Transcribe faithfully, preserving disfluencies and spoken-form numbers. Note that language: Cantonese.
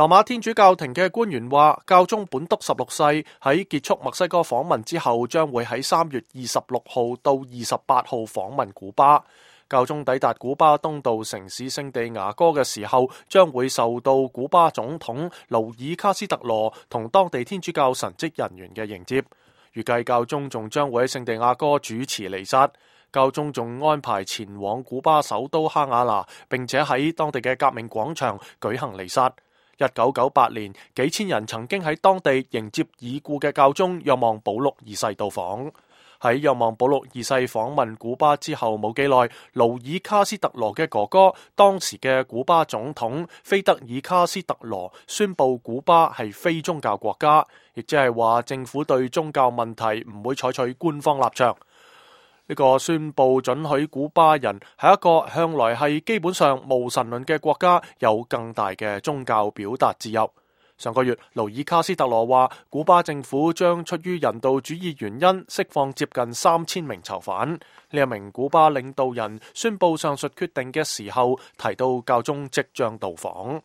羅馬天主教廷嘅官員話，教宗本篤十六世喺結束墨西哥訪問之後，將會喺三月二十六號到二十八號訪問古巴。教宗抵達古巴東道城市聖地牙哥嘅時候，將會受到古巴總統勞爾卡斯特羅同當地天主教神職人員嘅迎接。預計教宗仲將會喺聖地牙哥主持彌撒。教宗仲安排前往古巴首都哈瓦那，並且喺當地嘅革命廣場舉行彌撒。一九九八年，幾千人曾經喺當地迎接已故嘅教宗若望保祿二世到訪。喺若望保祿二世訪問古巴之後冇幾耐，勞爾卡斯特羅嘅哥哥，當時嘅古巴總統菲德爾卡斯特羅宣布古巴係非宗教國家，亦即係話政府對宗教問題唔會採取官方立場。呢個宣布准許古巴人喺一個向來係基本上無神論嘅國家有更大嘅宗教表達自由。上個月，勞爾卡斯特羅話，古巴政府將出於人道主義原因釋放接近三千名囚犯。呢一名古巴領導人宣布上述決定嘅時候，提到教宗即將到訪。